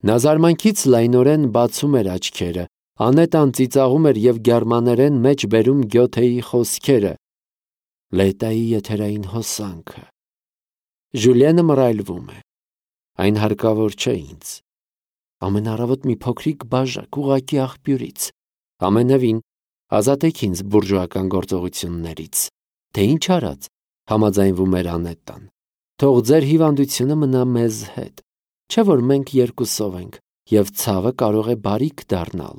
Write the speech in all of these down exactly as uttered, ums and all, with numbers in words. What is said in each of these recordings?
Նա զարմանքից լայնորեն բացում էր աչքերը, անետան ծիծաղում էր և գերմաներեն մեջ բերում Գյոթեի խոսքերը. «Լետայի եթերային հոսանքը»։ Ժուլիենը մռայլվում է. այն հարկավոր չէ ինձ։ Ամեն առավոտ մի փոքրիկ բաժակ ուղղակի աղբյուրից։ Ամենևին ազատեք ինձ բուրժուական գործողություններից։ Թե ինչ արած, համաձայնվում էր Անետան։ Թող ձեր հիվանդությունը մնա մեզ հետ։ Չէ՞ որ մենք երկուսով ենք, և ցավը կարող է բարիք դառնալ։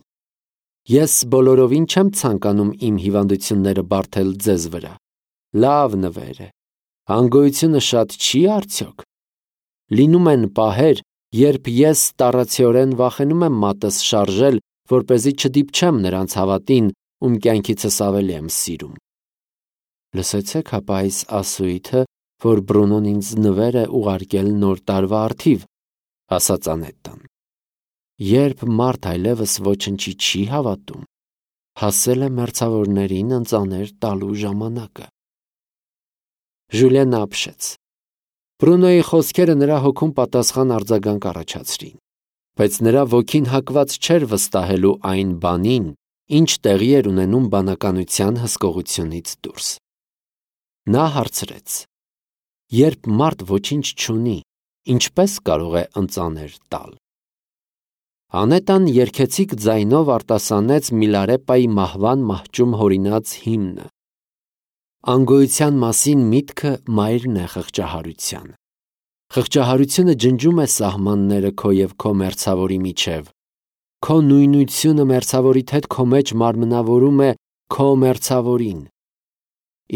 Ես բոլորովին չեմ ցանկանում իմ հիվանդությունները բարդել ձեզ վրա։ Լավ նվեր է։ Անգոյությունը շատ չի արդյոք։ Լինում են պահեր, երբ ես տառացիորեն վախենում եմ մատս շարժել, որպեսզի չդիպչեմ նրանց հավատին, ում կյանքիցս ավելի եմ սիրում։ Լսեցեք հապա այս ասույթը, որ Բրունոն ինձ նվեր է ուղարկել նոր տարվա առթիվ, ասաց Անետան։ Երբ մարդ այլևս ոչնչի չի հավատում, հասել է մերձավորներին ընծաներ տալու ժամանակը։ Ժուլիենը ապշեց։ Բրունոյի խոսքերը նրա հոգում պատասխան արձագանք առաջացրին, բայց նրա ոգին հակված չէր վստահելու այն բանին, ինչ տեղի էր ունենում բանականության հսկողությունից դուրս։ Նա հարցրեց. երբ մարդ ոչինչ չունի, ինչպե՞ս կարող է ընծաներ տալ։ Անետան երգեցիկ ձայնով արտասանեց Միլարեպայի մահվան մահճում հորինած հիմնը։ Անգոյության մասին միտքը մայրն է խղճահարության։ Խղճահարությունը ջնջում է սահմանները քո և քո մերձավորի միջև։ Քո նույնությունը մերձավորիդ հետ քո մեջ մարմնավորում է քո մերձավորին։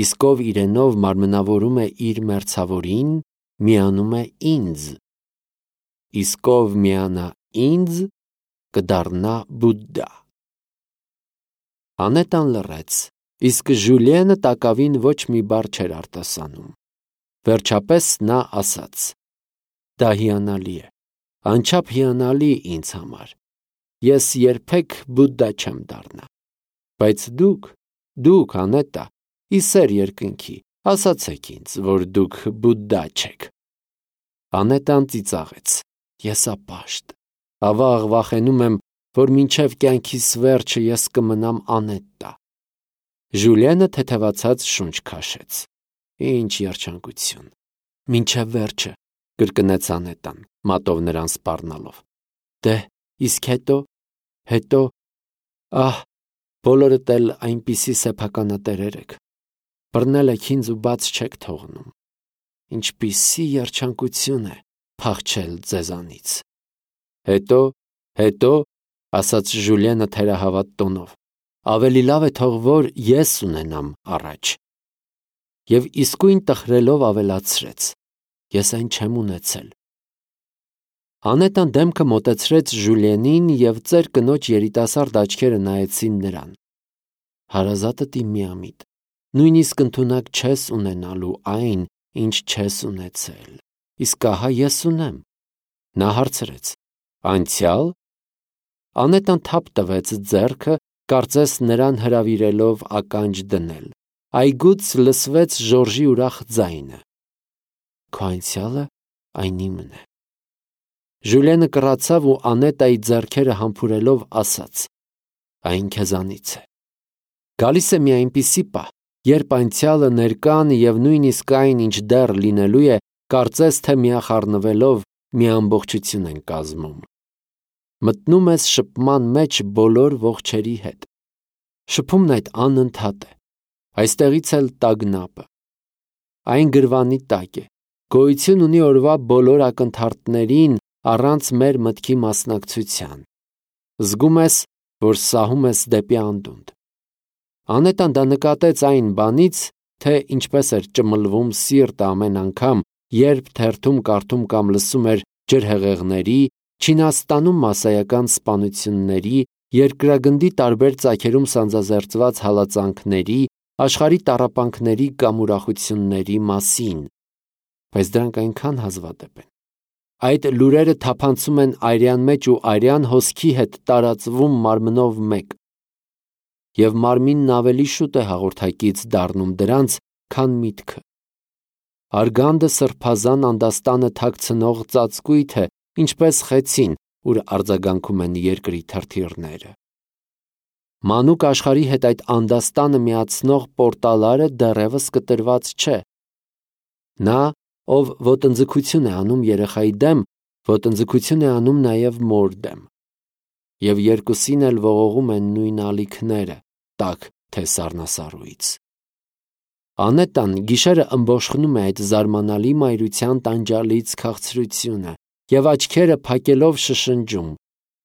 Իսկ ով իրենով մարմնավորում է իր մերձավորին, միանում է ինձ։ Իսկ ով միանա ինձ, կդառնա Բուդդա։ Անետան լռեց, իսկ Ժուլիենը տակավին ոչ մի բառ չէր արտասանում։ Վերջապես նա ասաց. դա հիանալի է, անչափ հիանալի ինձ համար։ Ես երբեք Բուդդա չեմ դառնա։ Բայց դուք, դուք, Անետա, ի սեր երկնքի, ասացեք ինձ, որ դուք Բուդդա չեք։ Անետան ծիծաղեց. ես ապաշտ, ավաղ վախենում եմ, որ մինչև կյանքիս վերջը ես կմնամ անետտա։ Ժուլիենը թեթևացած շունչ քաշեց. Ինչ երջանկություն։ Մինչև վերջը, կրկնեց Անետան, մատով նրան սպառնալով։ Դե, իսկ հետո, հետո, ահ, բոլորդ էլ այնպիսի սեփականատերեր եք։ Բռնել եք ինձ ու բաց չեք թողնում։ Ինչպիսի երջանկություն է փախչել ձեզանից։ Հետո, հետո, ասաց Ժուլիենը թերահավատ տոնով, ավելի լավ է թող որ ես ունենամ առաջ։ Եվ իսկույն տխրելով ավելացրեց. ես այն չեմ ունեցել։ Անետան դեմքը մոտեցրեց Ժուլիենին և ծեր կնոջ երիտասարդ աչքերը նայեցին նրան։ Հարազատդ իմ միամիտ, նույնիսկ ընդունակ չես ունենալու այն, ինչ չես ունեցել, իսկ ահա ես ունեմ։ Նա հարցրեց. անցյալ։ Անետան թափ տվեց ձեռքը, կարծես նրան հրավիրելով ականջ դնել։ Այգուց լսվեց Ժորժի ուրախ ձայնը. Քո անցյալը այն իմն է։ Ժուլիենը կռացավ ու Անետայի ձեռքերը համբուրելով ասաց. այն քեզանից է։ Գալիս է մի այնպիսի պահ, երբ անցյալը, ներկան և նույնիսկ այն, ինչ դեռ լինելու է, կարծես թե միախառնվելով մի ամբողջություն են կազմում։ Մտնում ես շփման մեջ բոլոր ողջերի հետ։ Շփումն այդ անընդհատ է։ Այստեղից էլ տագնապը։ Այն գրվանի տակ է, գոյություն ունի օրվա բոլոր ակնթարթներին առանց մեր մտքի մասնակցության։ Զգում ես, որ սահում ես դեպի անդունդ։ Անետան դա նկատեց այն բանից, թե ինչպես էր ճմլվում սիրտը ամեն անգամ, երբ թերթում կարդում կամ լսում էր ջրհեղեղների, Չինաստանում մասսայական սպանությունների, երկրագնդի տարբեր ծագերում սանձազերծված հալածանքների, աշխարհի տառապանքների կամ ուրախությունների մասին։ Բայց դրանք այնքան հազվադեպ են։ Այդ լուրերը թափանցում են արյան մեջ ու արյան հոսքի հետ տարածվում մարմնով մեկ։ Եվ մարմինն ավելի շուտ է հաղորդակից դառնում դրանց, քան միտքը։ Արգանդը սրբազան անդաստանը թաքցնող ծածկույթ է, ինչպես խեցին, ուր արձագանքում են երկրի թրթիռները։ Մանուկ աշխարհի հետ այդ անդաստանը միացնող պորտալարը դեռևս կտրված չէ։ Նա, ով ոտնձգություն է անում երեխայի դեմ, ոտնձգություն է անում նաև մոր դեմ։ Եվ երկուսին էլ ողողում են նույն ալիքները, տաք թե սառնասառույց։ Անետան գիշերը ըմբոշխնում է այդ զարմանալի մայրության տանջալից քաղցրությունը և աչքերը փակելով շշնջում.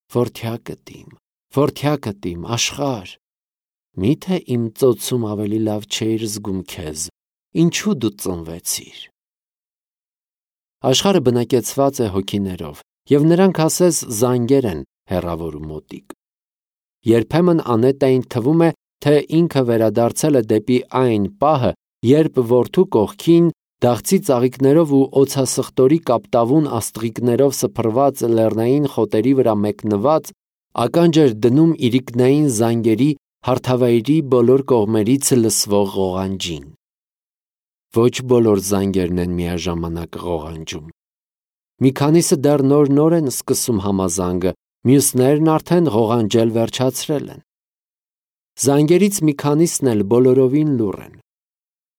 «Որդյակդ իմ, որդյակդ իմ, աշխարհ, միթե իմ ծոցում ավելի լավ չէիր զգում քեզ, ինչու դու ծնվեցիր»։ Աշխարհը բնակեցված է հոգիներով, և նրանք ասես զանգեր են հեռավոր ու մոտիկ։ Երբեմն Անետային թվում է, թե ինքը վերադարձել է դեպի այն պահը, երբ որդու կողքին, դաղցի ծաղիկներով ու օձասխտորի կապտավուն աստղիկներով սփռված լեռնային խոտերի վրա մեկնված, ականջ էր դնում իրիկնային զանգերի հարթավայրի բոլոր կողմերից լսվող ղողանջին։ Ոչ բոլոր զանգերն են միաժամանակ ղողանջում։ Մի քանիսը դեռ նոր-նոր են սկսում համազանգը, մյուսներն արդեն ղողանջել վերջացրել են։ Զանգերից մի քանիսն էլ բոլորովին լուռ են։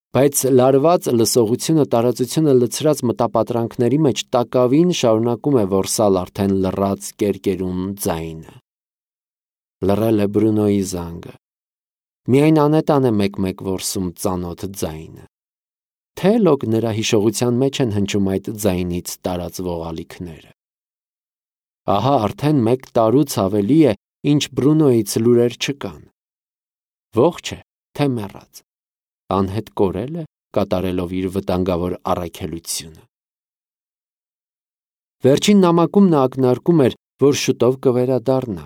Բայց լարված լսողությունը տարածությունը լցրած մտապատրանքների մեջ տակավին շարունակում է որսալ արդեն լռած կերկերուն ձայնը։ Լռել է Բրունոյի զանգը։ Միայն Անետան է մեկ-մեկ որսում ծանոթ ձայնը։ Թե լոկ նրա հիշողության մեջ են հնչում այդ ձայնից տարածվող ալիքները։ Ահա արդեն մեկ տարուց ավելի է, ինչ Բրունոյից լուրեր չկան։ Ողջ է, թե մեռած։ Անհետ կորել է, կատարելով իր վտանգավոր առաքելությունը։ Վերջին նամակում նա ակնարկում էր, որ շուտով կվերադառնա։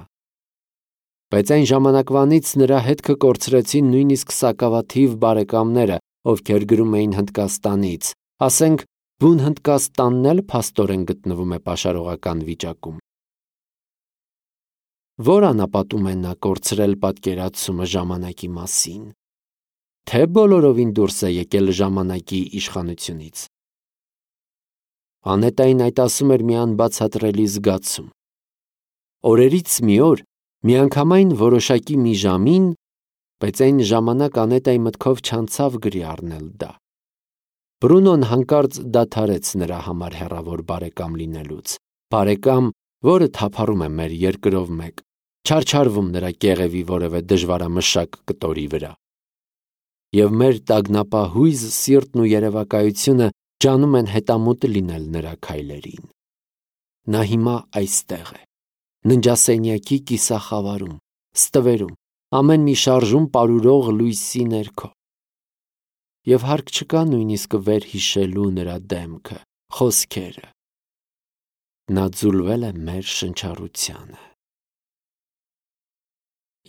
Բայց այն ժամանակվանից նրա հետքը կորցրեցին նույնիսկ սակավաթիվ բարեկամները, ովքեր գրում էին Հնդկաստանից, ասենք, բուն Հնդկաստանն էլ փաստորեն գտնվում է պաշարողական վիճակում։ Որ անապատում է նա կորցրել պատկերացումը ժամանակի մասին, թե բոլորովին դուրս է եկել ժամանակի իշխանությունից։ Անետային այդ ասում էր մի անբացատրելի զգացում։ Օրերից մի օր, միանգամայն որոշակի մի ժամին, բայց այն ժամանակ Անետայի մտքով չանցավ գրի առնել դա։ Բրունոն հանկարծ դադարեց նրա համար հեռավոր բարեկամ լինելուց, բարեկամ, որը թափառում է մեր երկրով մեկ, չարչարվում նրա կեղևի որևէ դժվարամշակ կտորի վրա։ Եվ մեր տագնապահույզ սիրտն ու երևակայությունը ջանում են հետամուտ լինել նրա քայլերին։ Նա հիմա այստեղ է, ննջասենյակի կիսախավարում, ստվերում, ամեն մի շարժում պարուրող լույսի ներքո։ Եվ հարկ չկա նույնիսկ վերհիշելու նրա դեմքը, խոսքերը։ Նա ձուլվել է մեր շնչառությանը։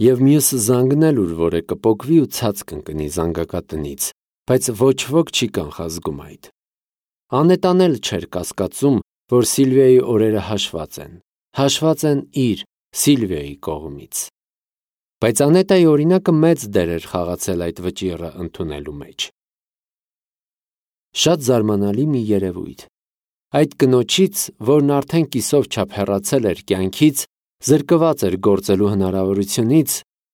Եվ մյուս զանգն էլ ուր որ է կպոկվի ու ցած կընկնի զանգակատնից, բայց ոչ ոք չի կանխազգում այդ։ Անետան էլ չէր կասկածում, որ Սիլվիայի օրերը հաշված են, հաշված են իր, Սիլվիայի կողմից։ Բայց Անետայի օրինակը մեծ դեր էր խաղացել այդ վճիռը ընդունելու մեջ։ Շատ զարմանալի մի երևույթ։ Այդ կնոջից, որն արդեն կիսով չափ հեռացել էր կյանքից, զրկված էր գործելու հնարավորությունից,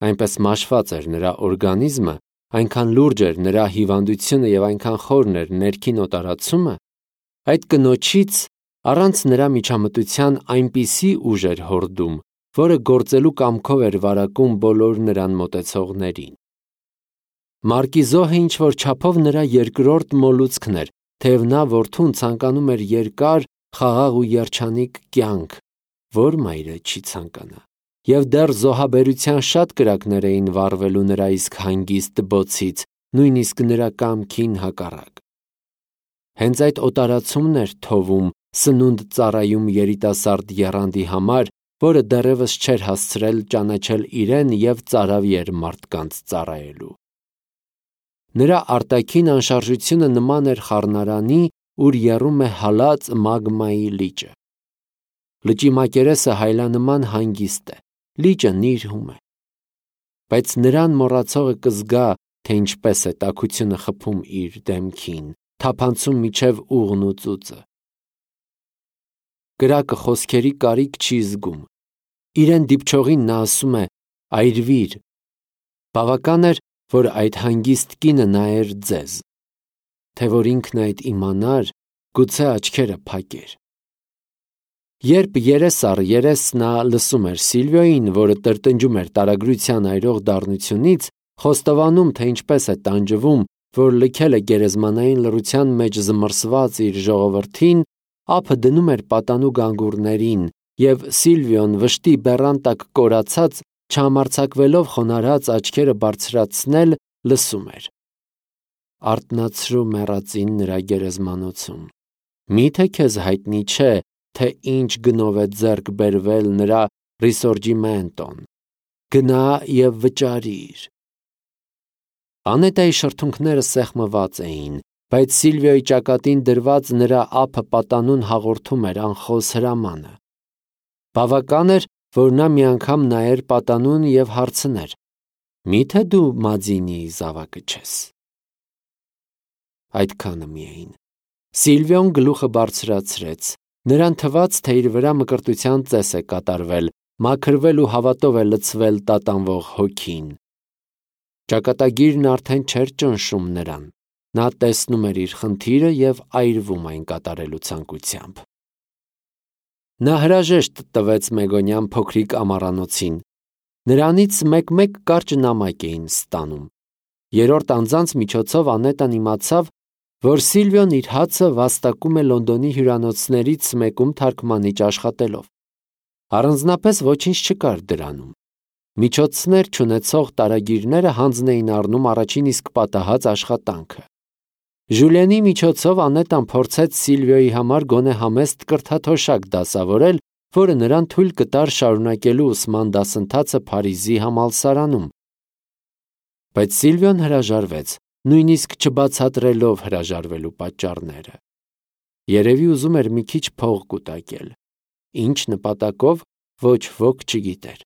այնպես մաշված էր նրա օրգանիզմը, այնքան լուրջ էր նրա հիվանդությունը և այնքան խորն էր ներքին օտարացումը, այդ կնոջից առանց նրա միջամտության այնպիսի ուժ էր հորդում, որը գործելու կամքով էր վարակում բոլոր նրան մոտեցողներին։ Մարկիզոհը ինչ-որ չափով նրա երկրորդ մոլուցքն էր, թեև նա որդուն ցանկանում էր երկար, խաղաղ ու երջանիկ կյանք, որ մայրը չի ցանկանա, և դեռ զոհաբերության շատ կրակներ էին վառվելու նրա իսկ հանգիստ բոցից, նույնիսկ նրա կամքին հակառակ։ Հենց այդ օտարացումն էր թովում սնունդ ծառայում երիտասարդ եռանդի համար, որը դեռևս չէր հասցրել ճանաչել իրեն և ծարավի էր մարդկանց ծառայելու։ Նրա արտաքին անշարժությունը նման էր խառնարանի, ուր եռում է հալած մագմայի լիճը։ Լճի մակերեսը հայլանման հանգիստ է, լիճը նիրհում է։ Բայց նրան մոռացողը կզգա, թե ինչպես է տաքությունը խփում իր դեմքին, թափանցում միջև ուղն ու ծուծը։ կրակը խոսքերի կարիք չի զգում։ Իրեն դիպչողին նա ասում է. «Այրվիր»։ Բավական էր, որ այդ հանգիստ կինը նայեր ձեզ, թե որ ինքն այդ իմանար, գուցե աչքերը փակեր։ Երբ երես առ երես նա լսում էր Սիլվիոյին, որը տրտնջում էր տարագրության այրող դառնությունից, խոստովանում, թե ինչպես է տանջվում, որ լքել է գերեզմանային լռության մեջ զմռսված իր ժողովրդին, ափը դնում էր պատանու գանգուրներին, և Սիլվիոն վշտի բեռան տակ կորացած, չհամարձակվելով խոնարհած աչքերը բարձրացնել, լսում էր. «Արթնացրու մեռածին նրա գերեզմանոցում։ Մի՞թե քեզ հայտնի չէ, թե ինչ գնով է ձեռք բերվել նրա Ռիսորջիմենտոն։ Գնա և վճարիր»։ Անետայի շրթունքները սեղմված էին, բայց Սիլվիոյի ճակատին դրված նրա ափը պատանուն հաղորդում էր անխոս հրամանը։ Բավական էր, որ նա մի անգամ նայեր պատանուն և հարցներ. «Մի՞թե դու Մադինիի զավակը չես»։ Այդքանը միայն։ Սիլվիոն գլուխը բարձրացրեց, նրան թվաց, թե իր վրա մկրտության ծես է կատարվել, մաքրվել ու հավատով է լցվել տատանվող հոգին։ Ճակատագիրն արդեն չէր ճնշում նրան, նա տեսնում էր իր խնդիրը և այրվում այն կատարելու ցանկությամբ։ Նա հրաժեշտ տվեց Մեգոնյան փոքրիկ ամառանոցին։ Նրանից մեկ-մեկ կարճ նամակ էին ստանում։ Երրորդ անձանց միջոցով Անետան իմացավ, որ Սիլվիոն իր հացը վաստակում է Լոնդոնի հյուրանոցներից մեկում թարգմանիչ աշխատելով։ Առանձնապես ոչինչ չկար դրանում։ Միջոցներ չունեցող տարագիրները հանձն էին առնում առաջին իսկ պատահած աշխատանքը։ Ժուլիենի միջոցով Անետան փորձեց Սիլվիոյի համար գոնե համեստ կրթաթոշակ դասավորել, որը նրան թույլ կտար շարունակելու ուսման դասընթացը Փարիզի համալսարանում։ Բայց Սիլվիոն հրաժարվեց, նույնիսկ չբացատրելով հրաժարվելու պատճառները։ Երևի ուզում էր մի քիչ փող կուտակել։ Ինչ նպատակով, ոչ ոք չգիտեր։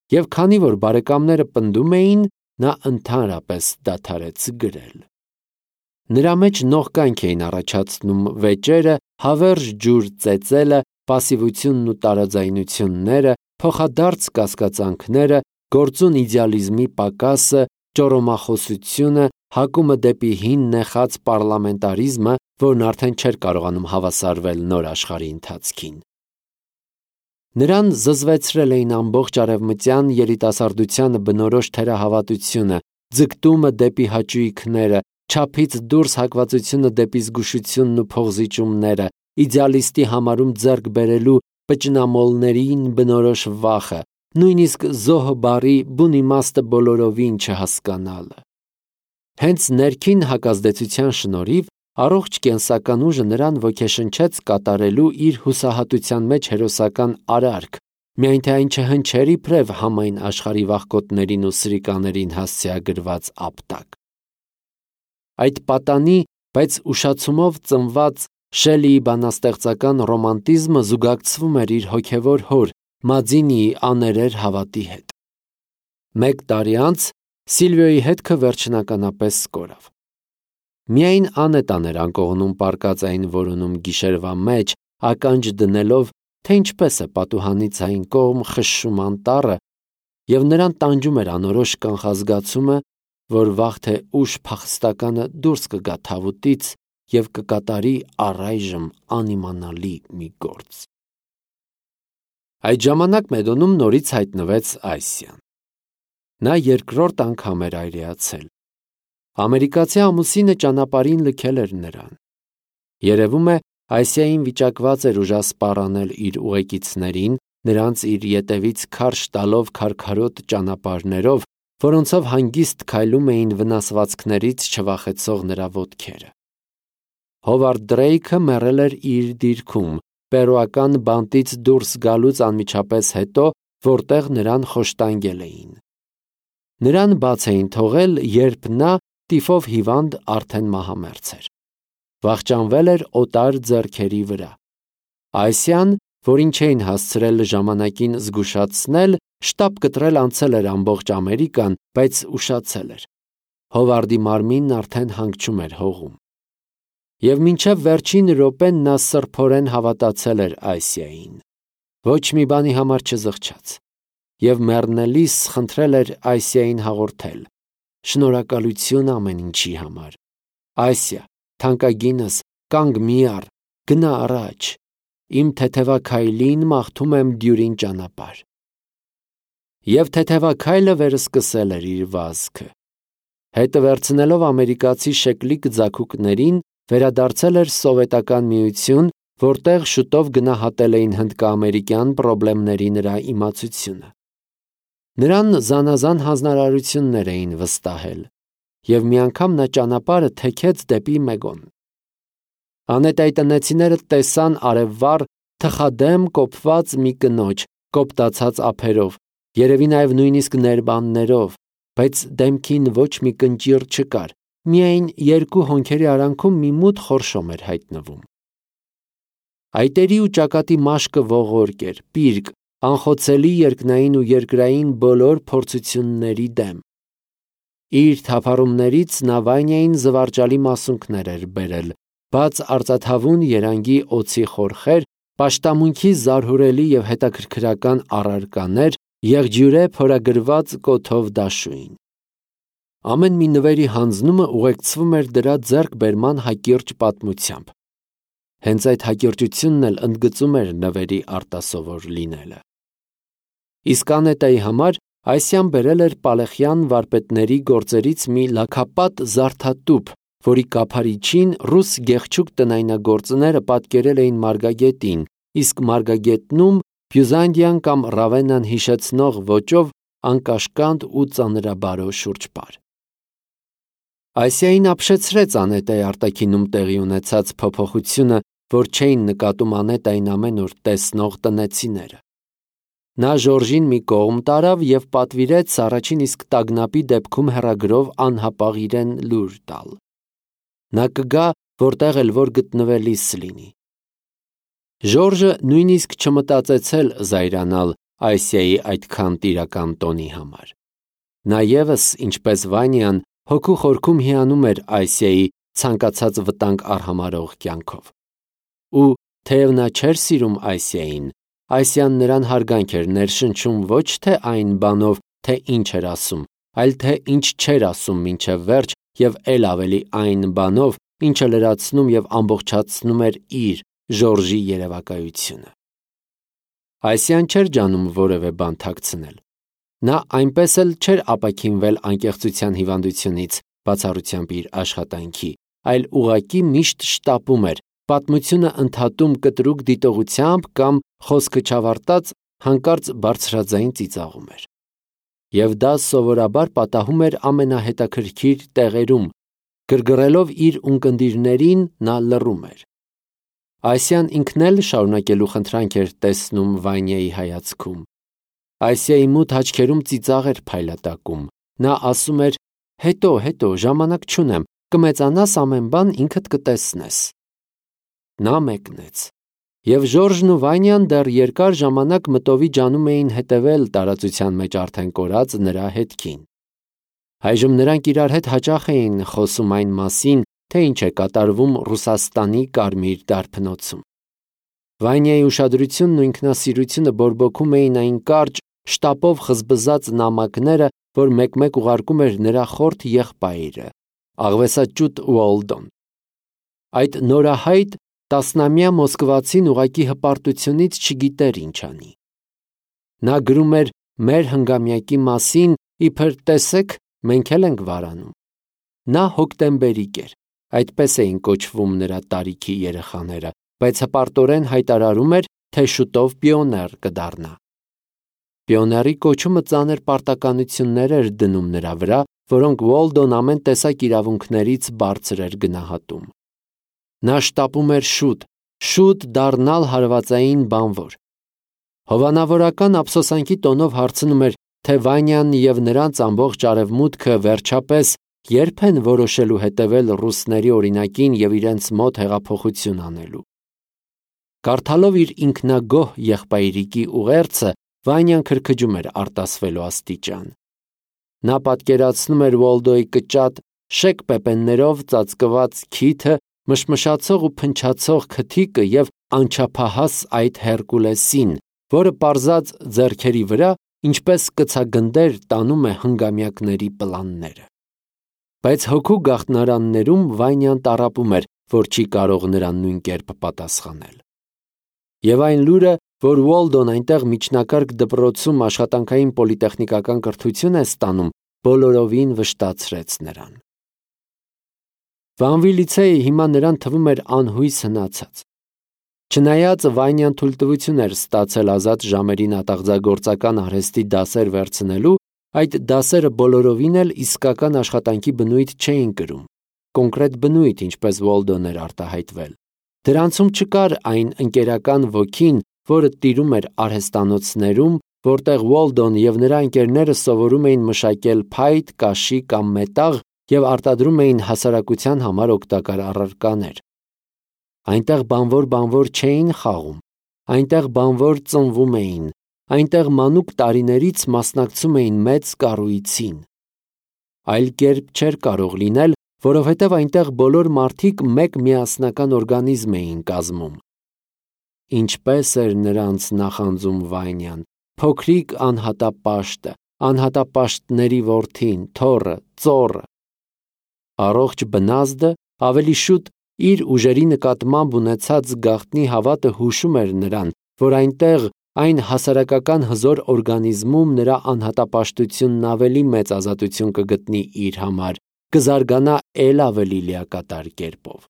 Եվ քանի որ բարեկամները պնդում էին, նա ընդհանրապես դադարեց գրել։ Նրա մեջ նողկանք էին առաջացնում վեճերը, հավերժ ջուր ծեծելը, պասիվությունն ու տարաձայնությունները, փոխադարձ կասկածանքները, գործուն իդեալիզմի պակասը, ճոռոմախոսությունը, հակումը դեպի հին նեխած պառլամենտարիզմը, որն արդեն չէր կարողանում հավասարվել նոր աշխարհի ընթացքին։ Նրան զզվեցրել էին ամբողջ արևմտյան երիտասարդությանը բնորոշ թերահավատությունը, ձգտումը դեպի հաճույքները, չափից դուրս հակվածությունը դեպի զգուշությունն ու փողզիջումները, իդեալիստի համարում ձեռք բերելու պճնամոլներին բնորոշ վախը, նույնիսկ զոհ բառի բուն իմաստը բոլորովին չհասկանալը։ Հենց ներքին հակազդեցության շնորհիվ առողջ կենսական ուժը նրան ոգեշնչեց կատարելու իր հուսահատության մեջ հերոսական արարք, միայն թե այն չհնչեր իբրև համայն աշխարհի վախկոտներին ու սրիկաներին հասցեագրված ապտակ։ Այդ պատանի, բայց ուշացումով ծնված Շելիի բանաստեղծական ռոմանտիզմը զուգակցվում էր իր հոգևոր հոր Մադինիի աներեր հավատի հետ։ Մեկ տարի անց Սիլվիոյի հետքը վերջնականապես կորավ։ Միայն Անետան էր անկողնում պառկած այն որոնում գիշերվա մեջ, ականջ դնելով, թե ինչպես է պատուհանից այն կողմ խշշում անտառը, և նրան տանջում էր անորոշ կանխազգացումը, որ վաղ թե ուշ փախստականը դուրս կգա թավուտից և կկատարի առայժմ անիմանալի մի գործ։ Այդ ժամանակ Մեդոնում նորից հայտնվեց Այսիան։ Նա երկրորդ անգամ էր այրեացել։ Ամերիկացի ամուսինը ճանապարհին լքել էր նրան։ Երևում է, Այսիային վիճակված էր ուժասպառ անել իր ուղեկիցներին, նրանց իր ետևից քարշ տալով քարքարոտ ճանապարհներով, որոնցով հանգիստ քայլում էին վնասվածքներից չվախեցող նրա ոտքերը։ Հովարդ Դրեյքը մեռել էր իր դիրքում, պերուական բանտից դուրս գալուց անմիջապես հետո, որտեղ նրան խոշտանգել էին։ Նրան բաց էին թողել, երբ նա տիֆով հիվանդ արդեն մահամերձ էր։ Վախճանվել էր օտար ձեռքերի վրա։ Այսիան, որին չէին հասցրել ժամանակին զգուշացնել, շտապ կտրել անցել էր ամբողջ Ամերիկան, բայց ուշացել էր։ Հովարդի մարմինն արդեն հանգչում էր հողում։ Եվ մինչև վերջին րոպեն նա սրբորեն հավատացել էր Ասիային, ոչ մի բանի համար չզղջաց, և մեռնելիս խնդրել էր Ասիային հաղորդել. «Շնորհակալություն ամեն ինչի համար։ Ասիա, թանկագինս, կանգ մի առ, գնա առաջ, իմ թեթևաքայլին մաղթում եմ դյուրին ճանապարհ»։ Եվ թեթևաքայլը վերսկսել էր իր վազքը։ Հետը վերցնելով ամերիկացի շեկլիկ ձագուկներին, վերադարձել էր Սովետական Միություն, որտեղ շուտով գնահատել էին հնդկա-ամերիկյան պրոբլեմների նրա իմացությունը։ Նրան զանազան հանձնարարություններ էին վստահել, և մի անգամ նա ճանապարհը թեքեց դեպի Մեգոն։ Անետայի տնեցիները տեսան արևվառ թխադեմ կոփված մի կնոջ, կոպտացած ափերով, երևի նաև նույնիսկ ներբաններով, բայց դեմքին ոչ մի կնճիռ չկար, միայն երկու հոնքերի արանքում մի մութ խորշոմ էր հայտնվում։ Այտերի ու ճակատի մաշկը ողորկ էր, պիրկ, անխոցելի երկնային ու երկրային բոլոր փորձությունների դեմ։ Իր թափառումներից նա Վանյային զվարճալի մասունքներ էր բերել, բաց արծաթավուն երանգի օձի խորխեր, պաշտամունքի զարհուրելի և հետաքրքրական առարկաներ, եղջյուրե փորագրված կոթով դաշույն։ Ամեն մի նվերի հանձնումը ուղեկցվում էր դրա ձեռքբերման հակիրճ պատմությամբ։ Հենց այդ հակիրճությունն էլ ընդգծում էր նվերի արտասովոր լինելը։ Իսկ Անետայի համար Ասիան բերել էր Պալեխյան վարպետների գործերից մի լաքապատ զարդատուփ, որի կափարիչին ռուս գեղչուկ տնայնագործները պատկերել էին մարգագետին, իսկ մարգագետնում Բյուզանդիան կամ Ռավեննան հիշեցնող ոճով անկաշկանդ ու ծանրաբարո շուրջպար։ Ասիային ապշեցրեց Անետայի արտաքինում տեղի ունեցած փոփոխությունը, որ չէին նկատում Անետային ամենուր տեսնող տնեցիները։ Նա Ժորժին մի կողմ տարավ և պատվիրեց առաջին իսկ տագնապի դեպքում հեռագրով անհապաղ իրեն լուր տալ։ Նա կգա, որտեղ էլ որ գտնվելիս լինի։ Ժորժը նույնիսկ չմտածեցել զայրանալ Ասիայի այդքան տիրական տոնի համար։ Նա ևս, ինչպես Վանյան, հոգու խորքում հիանում էր Ասիայի ցանկացած վտանգ արհամարհող կյանքով։ Ու թեև նա չէր սիրում Ասիային, Ասիան նրան հարգանք էր ներշնչում ոչ թե այն բանով, թե ինչ էր ասում, այլ թե ինչ չէր ասում մինչև վերջ և էլ ավելի այն բանով, ինչը լրացնում և ամբողջացնում էր իր Ժորժի երևակայությունը։ Ասիան չէր ջանում որևէ բան թաքցնել։ Նա այնպես էլ չէր ապաքինվել անկեղծության հիվանդությունից, բացառությամբ իր աշխատանքի, այլ ուղղակի միշտ շտապում էր, պատմությունը ընդհատում կտրուկ դիտողությամբ կամ խոսքը չավարտած հանկարծ բարձրաձայն ծիծաղում էր։ Եվ դա սովորաբար պատահում էր ամենահետաքրքիր տեղերում, գրգռելով իր ունկնդիրներին նա լռում էր։ Ասիան ինքն էլ շարունակելու խնդրանք էր տեսնում Վանյայի հայացքում։ Ասիայի մութ աչքերում ծիծաղ էր փայլատակում։ Նա ասում էր. «Հետո, հետո, ժամանակ չունեմ, կմեծանաս ամեն բան ինքդ կտեսնես»։ Նա մեկնեց։ Եվ Ժորժն ու Վանյան դեռ երկար ժամանակ մտովի ջանում էին հետևել տարածության մեջ արդեն կորած նրա հետքին։ Այժմ նրանք իրար հետ հաճախ էին խոսում այն մասին, թե ինչ է կատարվում Ռուսաստանի Կարմիր դարբնոցում։ Վանյայի ուշադրությունն ու ինքնասիրությունը բորբոքում էին այն կարճ, շտապով խզբզած նամակները, որ մեկ-մեկ ուղարկում էր նրա խորթ եղբայրը, աղվեսաճուտ Ուոլդոն։ Այդ նորահայտ տասնամյա մոսկվացին ուղղակի հպարտությունից չգիտեր ինչ անի։ Նա գրում էր մեր հնգամյակի մասին, իբր տեսեք, մենք էլ ենք վարանում։ Նա հոկտեմբերիկ էր, այդպես էին կոչվում նրա տարիքի երեխաները, բայց հպարտորեն հայտարարում էր, թե շուտով պիոներ կդառնա։ Պիոների կոչումը ծանր պարտականություններ էր դնում նրա վրա, որոնք Ուոլդոն ամեն տեսակ իրավունքներից բարձր էր գնահատում։ Նա շտապում էր շուտ, շուտ դառնալ հարվածային բանվոր։ Հովանավորական ափսոսանքի տոնով հարցնում էր, թե Վանյան և նրանց ամբողջ արևմուտքը վերջապես երբ են որոշելու հետևել ռուսների օրինակին և իրենց մոտ հեղափոխություն անելու։ Կարդալով իր ինքնագոհ եղբայրիկի ուղերձը, Վանյան քրքջում էր արտասվելու աստիճան։ Նա պատկերացնում էր Ուոլդոյի կճատ, շեկ պեպեններով ծածկված քիթը, մշմշացող ու փնչացող քթիկը և անչափահաս այդ Հերկուլեսին, որը պարզած ձեռքերի վրա, ինչպես կցագնդեր, տանում է հնգամյակների պլանները։ Բայց հոգու գաղտնարաններում Վանյան տառապում էր, որ չի կարող նրան նույն կերպ պատասխանել։ Եվ այն լուրը, որ Ուոլդոն այնտեղ միջնակարգ դպրոցում աշխատանքային պոլիտեխնիկական կրթություն է ստանում, բոլորովին վշտացրեց նրան։ Վանվի-լիցեյը հիմա նրան թվում էր անհույս հնացած։ Չնայած Վանյան թույլտվություն էր ստացել ազատ ժամերին ատաղձագործական արհեստի դասեր վերցնելու, այդ դասերը բոլորովին էլ իսկական աշխատանքի բնույթ չէին կրում, կոնկրետ բնույթ, ինչպես Ուոլդոն էր արտահայտվել։ Դրանցում չկար այն ընկերական ոգին, որը տիրում էր արհեստանոցներում, որտեղ Ուոլդոն և նրա ընկերները սովորում էին մշակել փայտ, կաշի կամ մետաղ և արտադրում էին հասարակության համար օգտակար առարկաներ։ Այնտեղ բանվոր-բանվոր չէին խաղում, այնտեղ բանվոր ծնվում էին, այնտեղ մանուկ տարիներից մասնակցում էին մեծ կառույցին։ Այլ կերպ չէր կարող լինել, որովհետև այնտեղ բոլոր մարդիկ մեկ միասնական օրգանիզմ էին կազմում։ Ինչպես էր նրանց նախանձում Վանյան, փոքրիկ անհատապաշտը, անհատապաշտների որդին, թոռը, ծոռը։ Առողջ բնազդը ավելի շուտ իր ուժերի նկատմամբ ունեցած գաղտնի հավատը հուշում էր նրան, որ այնտեղ, այն հասարակական հզոր օրգանիզմում նրա անհատապաշտությունն ավելի մեծ ազատություն կգտնի իր համար, կզարգանա էլ ավելի լիակատար կերպով։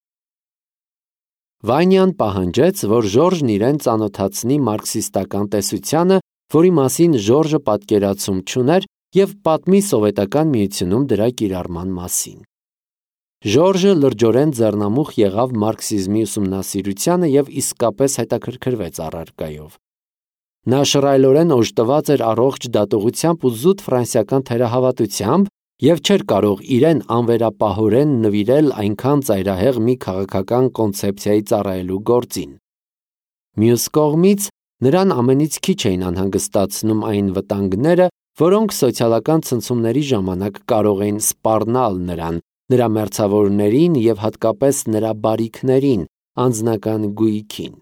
Վանյան պահանջեց, որ Ժորժն իրեն ծանոթացնի մարքսիստական տեսությանը, որի մասին Ժորժը պատկերացում չուներ, և պատմի Սովետական Միությունում դրա կիրառման մասին։ Ժորժը լրջորեն ձեռնամուխ եղավ մարքսիզմի ուսումնասիրությանը և իսկապես հետաքրքրվեց առարկայով։ Նա շռայլորեն օժտված էր առողջ դատողությամբ ու զուտ ֆրանսիական թերահավատությամբ և չէր կարող իրեն անվերապահորեն նվիրել այնքան ծայրահեղ մի քաղաքական կոնցեպցիայի ծառայելու գործին։ Մյուս կողմից, նրան ամենից քիչ էին անհանգստացնում այն վտանգները, որոնք սոցիալական ցնցումների ժամանակ կարող էին սպառնալ նրան, նրա մերձավորներին և հատկապես նրա բարիքներին, անձնական գույքին։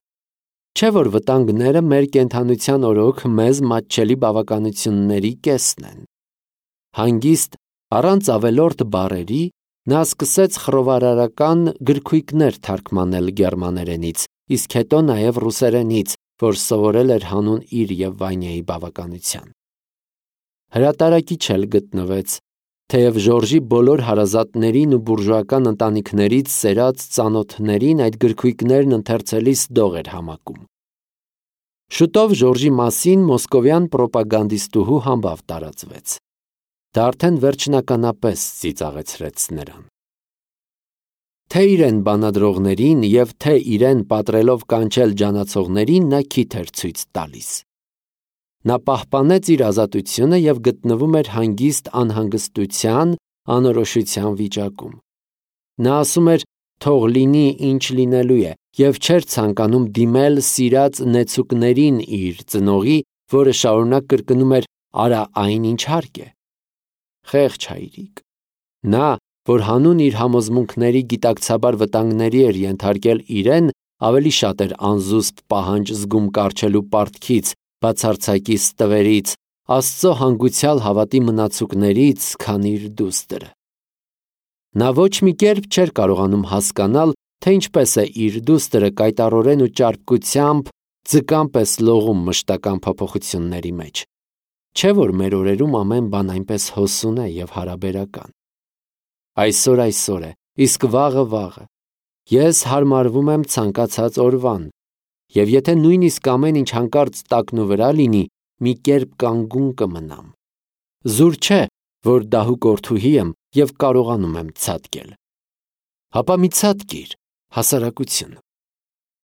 Չէ՞ որ վտանգները մեր կենդանության օրոք մեզ մատչելի բավականությունների կեսն են։ Հանգիստ, առանց ավելորդ բառերի, նա սկսեց խռովարարական գրքույկներ թարգմանել գերմաներենից, իսկ հետո նաև ռուսերենից, որ սովորել էր հանուն իր և Վանյայի բավականության։ Հրատարակիչ էլ գտնվեց, թեև Ժորժի բոլոր հարազատներին ու բուրժուական ընտանիքներից սերած ծանոթներին այդ գրքույկներն ընթերցելիս դող էր համակում։ Շուտով Ժորժի մասին մոսկովյան պրոպագանդիստուհու համբավ տարածվեց։ Դա արդեն վերջնականապես ծիծաղեցրեց նրան։ Թե իրեն բանադրողներին և թե իրեն պատրելով կանչել ջանացողներին նա քիթ էր ցույց տալիս։ Նա պահպանեց իր ազատությունը և գտնվում էր հանգիստ անհանգստության, անորոշության վիճակում։ Նա ասում էր, թող լինի, ինչ լինելու է, և չէր ցանկանում դիմել սիրած նեցուկներին իր ծնողի, որը շարունակ կրկնում էր «արա այն, ինչ հարկ է»։ Խեղճ հայրիկ։ Նա, որ հանուն իր համոզմունքների գիտակցաբար վտանգների էր ենթարկել իրեն, ավելի շատ էր անզուսպ պահանջ զգում կառչելու պարտքից, բացարձակի ստվերից, Աստծո հանգուցյալ հավատի մնացուկներից, քան իր դուստրը։ Նա ոչ մի կերպ չէր կարողանում հասկանալ, թե ինչպես է իր դուստրը կայտառորեն ու ճարպկությամբ ձկան պես լողում մշտական փոփոխությունների մեջ։ Չէ՞ որ մեր օրերում ամեն բան այնպես հոսուն է և հարաբերական։ Այսօր այսօր է, իսկ վաղը վաղը։ Ես հարմարվում եմ ցանկացած օրվան, և եթե նույնիսկ ամեն ինչ հանկարծ տակնուվրա լինի, մի կերպ կանգուն կմնամ։ Զուր չէ, որ դահուկորդուհի եմ և կարողանում եմ ցատկել։ Հապա մի ցատկիր, հասարակություն։